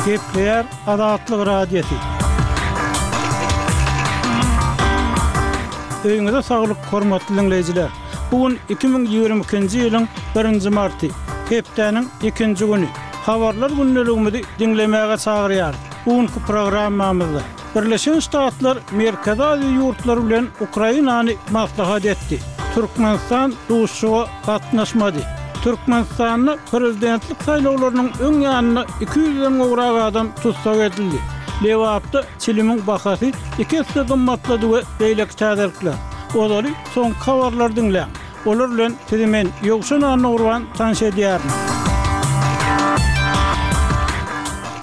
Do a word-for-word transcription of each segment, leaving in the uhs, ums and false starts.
Gepleýär Azatlyk Radiosy. Öýüňize saglyk, hormatly diňleýjiler! Bu gün iki müň ýigrimi ikinji ýylyň birinji marty, hepdäniň ikinji güni. Habarlar gündeligimizi diňlemäge çagyrýarys. Bu günki programmamyzda Birleşen Ştatlar Merkezi Aziýa ýurtlary bilen Ukrainany maslahat etdi. Türkmenistan duşuşyga gatnaşmady. Türkmenistanda prezidentlik saýlawlarynyň öň ýanynda iki ýüzden gowrak adam tussag edildi. Lebapda çilimiň bahasy iki esse gymmatlady we beýleki täzelikler. Ozaly soňky habarlary diňläň. Olar bilen sizi men, Ýowşan Annagurban tanyş edýärin.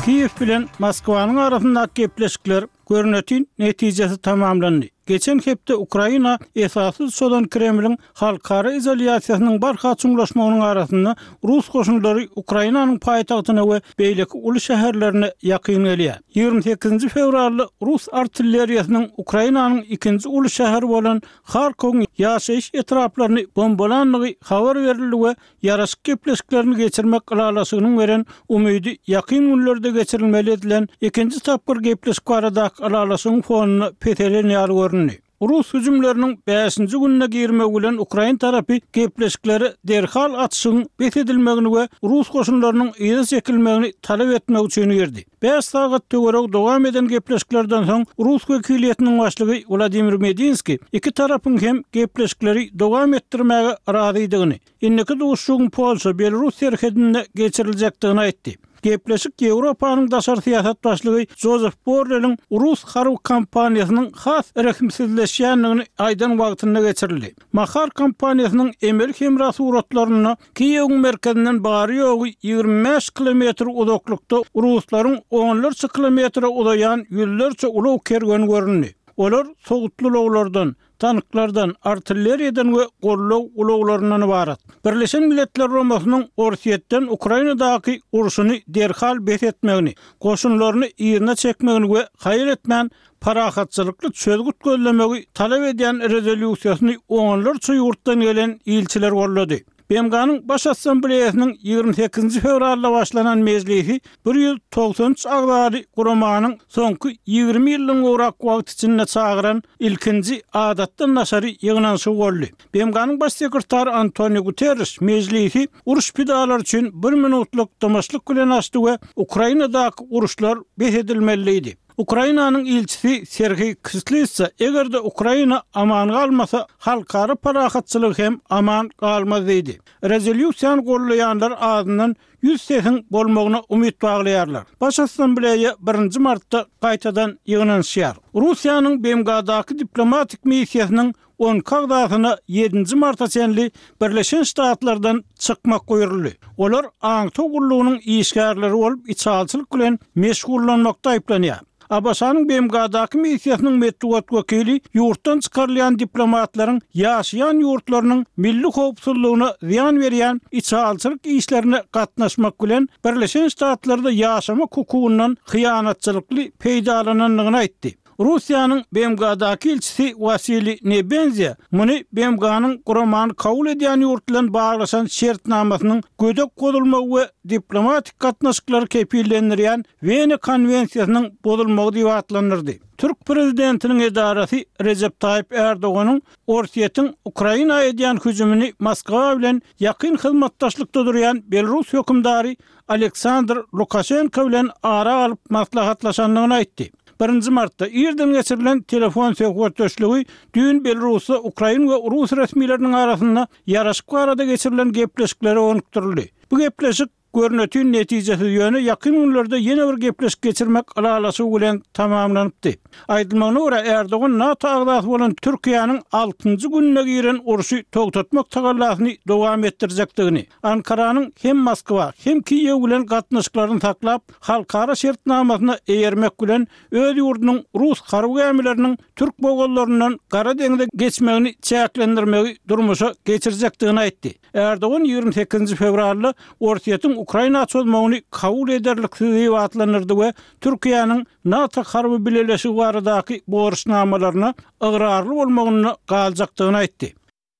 Kiýew bilen Moskwanyň arasyndaky gepleşikler görnetin netijesiz tamamlandy. Geçen hepde Ukraina esassyz çozan Kremliň halkara izolýasiýasynyň barha çuňlaşmagynyň arasynda rus goşunlary Ukrainanyň paýtagtyna we beýleki uly şäherlerine ýakyn gelýär. Ýigrimi sekizinji fewralda rus artilleriýasynyň Ukrainanyň ikinji uly şäheri bolan Harkowyň ýaşaýyş etraplaryny bombalandygy habar berildi we ýaraşyk gepleşiklerini geçirmek ylalaşygynyň beren umydy ýakyn günlerde geçirilmeli edilen ikinji tapgyr gepleşik baradaky ylalaşygyň fonunda peselen ýaly göründi. Rus hüjümleriniň bäşinji gününe girmegi bilen ukrain tarapy gepleşiklere derhal atyşygyň bes edilmegini we rus goşunlarynyň yza çekilmegini talap etmek üçin girdi. Bäş sagat töweregi dowam eden gepleşiklerden soň rus wekiliýetiniň başlygy Wladimir Medinskiý iki tarapyň hem gepleşikleri dowam etdirmäge razydygyny, indiki duşuşygyň Polşa-Belarus serhedinde geçiriljekdigini aýtdy. Gepleşik Ýewropanyň daşary syýasat başlygy Jozef Borreliň rus harby kampaniýasynyň has rehimsizleşýändigini aýdan wagtynda geçirildi. Mahar kampaniýasynyň emeli hemra suratlarynda Kiýewiň merkezinden bary-ýogy ýigrimi bäş kilometr uzaklykda ruslaryň onlarça kilometre uzaýan ýüzlerçe ulag kerweni göründi. Olar sowutly ulaglardan, tanklardan, artilleriýadan we goldaw ulaglaryndan ybarat. Birleşen Milletler Guramasynyň Orsýetden Ukrainadaky urşuny derhal bes etmegini, goşunlaryny yzyna çekmegini we haýal etmän parahatçylykly çözgüt gözlemegi talap edýän rezolýusiýasyny onlarça ýurtdan gelen ilçiler goldady. B M G-niň Baş Assambleýasynyň ýigrimi sekizinji fewralda başlanan mejlisi bir ýüz togsan üç agzaly guramanyň soňky ýigrimi ýyldan gowrak wagt içinde çagyran ilkinji adatdan daşary ýygnanyşygy boldy. B M G-niň Baş sekretary Antonio Guterreş mejlisi uruş pidalary üçin bir minutlyk dymyşlyk bilen açdy we Ukrainadaky uruşlar bes edilmeli diýdi. Ukrainanyň ilçisi Serhiý Kislitsa, eger-de Ukraina aman galmasa, halkara parahatçylygy hem aman galmaz diýdi. Rezolýusiýany gollaýanlar azyndan ýüz sesiň bolmagyna umyt baglaýarlar. Baş Assambleýa birinji martda gaýtadan ýygnanyşýar. Russiýanyň B M G-daky diplomatik missiýasynyň on iki agzasyna ýedinji marta çenli Birleşen Ştatlardan çykmak buýruldy. Olar aňtaw gullugynyň işgärleri bolup, içalyçylyk bilen meşgullanmakda aýyplanýar. A B Ş-nyň B M G-daky missiýasynyň metbugat wekili ýurtdan çykarylýan diplomatlaryň ýaşaýan ýurtlarynyň milli howpsuzlygyna zyýan berýän içalyçylyk işlerine gatnaşmak bilen Birleşen Ştatlarda ýaşamak hukugyndan hyýanatçylykly peýdalanandygyny aýtdy. Russiýanyň B M G-daky ilçisi Wasiliý Nebenzia muny B M G-nyň guramany kabul edýän ýurt bilen baglaşan şertnamasynyň gödek bozulmagy we diplomatik gatnaşyklary kepillendirýän Wena konwensiýasynyň bozulmagy diýip atlandyrdy. Türk prezidentiniň edarasy Rejep Taýyp Erdoganyň Orsýetiň Ukraina edýän hüjümini Moskwa bilen ýakyn hyzmatdaşlykda durýan Belarus hökümdary Aleksandr Lukaşenko bilen ara alyp maslahatlaşandygyny aýtdy. Birinji martda irden geçirilen telefon söhbetdeşligi düýn Belarusda ukrain we rus resmileriniň arasynda ýaraşyk barada geçirilen gepleşiklere gönükdirildi. Bu gepleşik görnetin netijesiz, ýöne ýakyn günlerde ýene bir gepleşik geçirmek ylalaşygy bilen tamamlanypdy. Aýdylmagyna görä, Erdogan NATO agzasy bolan Türkiýäniň altynjy gününe giren urşy togtatmak tagallasyny dowam etdirjekdigini, Ankaranyň hem Moskwa, hem Kiýew bilen gatnaşyklaryny saklap, halkara şertnamasyna eýermek bilen öz ýurdunyň rus harby gämileriniň türk bogazlaryndan Gara deňze geçmegini çäklendirmegi durmuşa geçirjekdigini aýtdy. Erdogan ýigrimi sekizinji fewralda Orsýetiň Ukraina çozmagyny kabul ederliksiz diýip atlandyrdy we Türkiýäniň NATO harby bileleşigi baradaky borçnamalaryna ygrarly bolmagynda galjakdygyny aýtdy.